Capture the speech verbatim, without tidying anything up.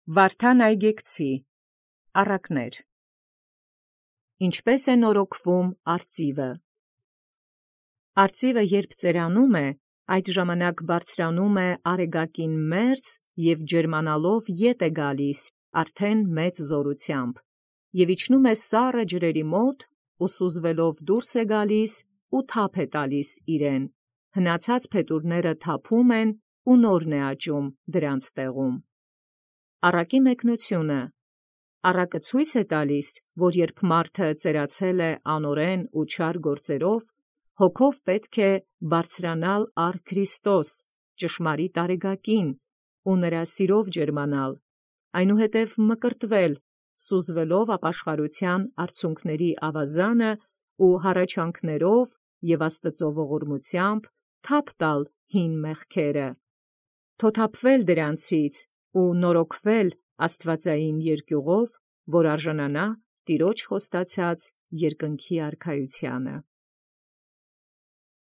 Վարդան Այգեկցի առակներ։ Ինչպէս է նորոգվում արծիւը։ Արծիւը երբ ծերանում է, այդ ժամանակ բարձրանում է արեգակին մերձ և ջերմանալով ետ է գալիս արդեն մեծ զօրութեամբ, և իջնում է սառը ջրերի մոտ, ու սուզվելով դուրս է գալիս, ու թափ է տալիս իրեն, հնացած փետուրները թափում են, ու նորն է աճում դրանց տեղում։ Առակի մեկնությունը։ Առակը ցույց է տալիս, որ երբ մարդը ծերացել է անօրեն ու չար գործերով, հոգով պետք է բարձրանալ առ Քրիստոս, ճշմարիտ արեգակին, ու նրա սիրով ջերմանալ, այնուհետև մկրտվել, սուզվելով ապաշխարութեան արցունքների ավազանը ու հառաչանքներով և Աստուծոյ ողորմութեամբ թափ տալ հին մեղքերը, թոթափվել դրանցից ու նորոգվել աստուածային երկյուղով, որ արժանանա Տեառն խոստացեալ երկնքի արքայութիւնը։